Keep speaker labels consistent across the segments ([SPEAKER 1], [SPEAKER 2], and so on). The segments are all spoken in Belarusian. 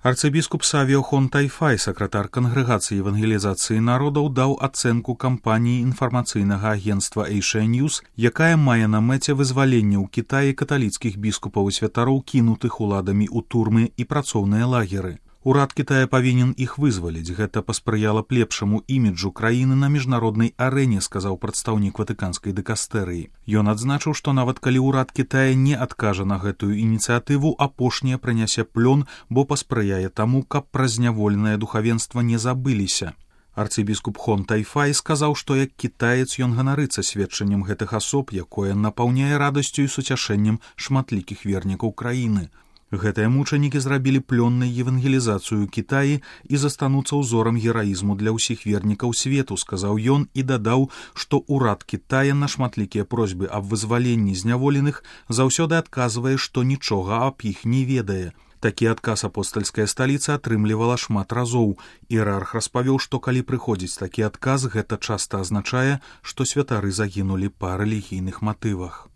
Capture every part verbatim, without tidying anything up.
[SPEAKER 1] Арцыбіскуп Савіо Хон Тайфай, сакратар Кангрэгацыі евангелізацыі народаў, даў ацэнку кампаніі інфармацыйнага агенцтва Asia News, якая мае на мэце вызваленне ў Кітаі каталіцкіх біскупаў і святароў, кінутых уладамі ў турмы і працоўныя лагеры. Урад Китая павінен іх вызваліць. Гэта паспрыяла б лепшаму іміджу краіны на міжнароднай арэне, сказаў прадстаўнік ватыканскай дыкастэрыі. Ён адзначыў, што нават калі ўрад Китая не адкажа на гэтую ініцыятыву, апошняе прынясе плён, бо паспрыяе таму, каб пра зняволенае духавенства не забыліся. Арцыбіскуп Хон Тайфай сказаў, што як кітаец ён ганарыцца сведчаннем гэтых асоб, якое напаўняе радасцю і суцяшэннем шматлікіх вернікаў краіны. Гэтыя мучанікі зрабілі плённай евангелізацыю Кітаі і застануцца ўзорам гераізму для ўсіх вернікаў свету, сказаў ён і дадаў, што ўрад Кітая на шматлікія просьбы аб вызваленні зняволеных заўсёды адказвае, што нічога аб іх не ведае. Такі адказ апостальская сталіца атрымлівала шмат разоў. Іерарх распавёў, што калі прыходзіць такі адказ, гэта часта азначае, што святары загінулі па рэлігійных матывах.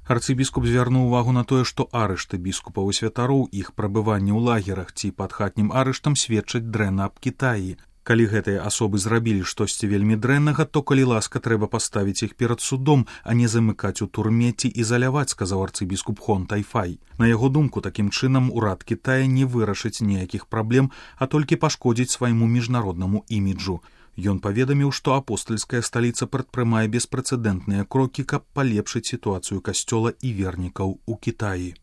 [SPEAKER 1] Арцыбіскуп звярнуў увагу на тое, што арышты біскупаў і святароў, іх прабыванне ў лагерах ці пад хатнім арыштам сведчаць дрэнна аб Кітаі. Калі гэтыя асобы зрабілі штосьці вельмі дрэннага, то, калі ласка, трэба паставіць іх перад судом, а не замыкаць у турме ці ізаляваць, сказаў арцыбіскуп Хон Тайфай. На яго думку, такім чынам урад Кітая не вырашыць ніякіх праблем, а толькі пашкодзіць свайму міжнароднаму іміджу. Ён паведаміў, што апостальская сталіца прадпрымае беспрэцэдэнтныя крокі, каб палепшыць сітуацыю касцёла і вернікаў у Кітаі.